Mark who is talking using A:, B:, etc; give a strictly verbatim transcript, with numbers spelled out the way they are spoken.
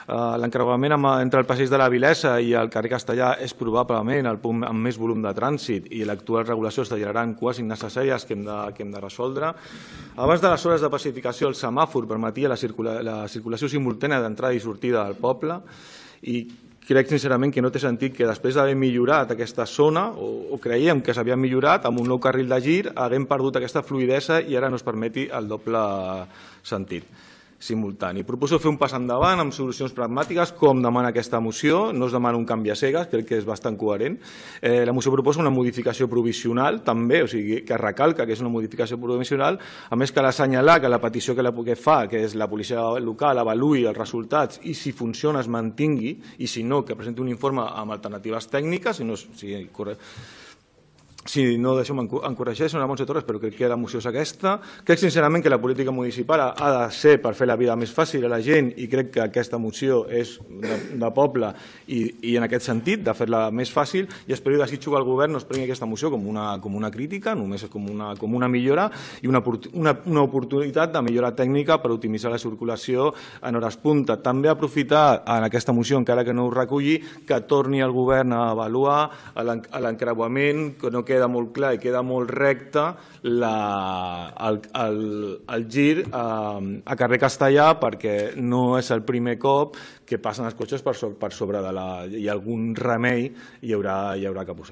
A: L'encreuament entre el passeig de la Vilesa i el carrer Castellà és probablement el punt amb més volum de trànsit i l'actual regulació està generant cues innecessàries que hem de, que hem de resoldre. Abans de les hores de pacificació, el semàfor permetia la, circula, la circulació simultània d'entrada i sortida del poble i crec sincerament que no té sentit que després d'haver millorat aquesta zona, o, o creiem que s'havia millorat, amb un nou carril de gir, haguem perdut aquesta fluïdesa i ara no es permeti el doble sentit simultani. Proposo fer un pas endavant amb solucions pragmàtiques, com demana aquesta moció. No es demana un canvi a cegues, crec que és bastant coherent. Eh, la moció proposa una modificació provisional, també, o sigui, que recalca que és una modificació provisional, a més cal assenyalar que la petició que, la, que fa, que és la policia local, avaluï els resultats i si funciona es mantingui, i si no, que presenti un informe amb alternatives tècniques, si no, si, si no deixeu-me encorregir, senyora Montse Torres, però crec que la moció és aquesta. Crec sincerament que la política municipal ha de ser per fer la vida més fàcil a la gent i crec que aquesta moció és de, de poble i, i en aquest sentit, de fer-la més fàcil, i espero i desitjo que el govern no es prengui aquesta moció com una, com una crítica, només com una, com una millora i una, una, una oportunitat de millora tècnica per optimitzar la circulació en hores punta. També aprofitar en aquesta moció, encara que no ho reculli, que torni el govern a avaluar l'encreuament, que no queda queda molt clar i queda molt recte la, el, el, el gir a, a carrer Castellà, perquè no és el primer cop que passen els cotxes per sobre, per sobre de la... i algun remei hi haurà, hi haurà que posar.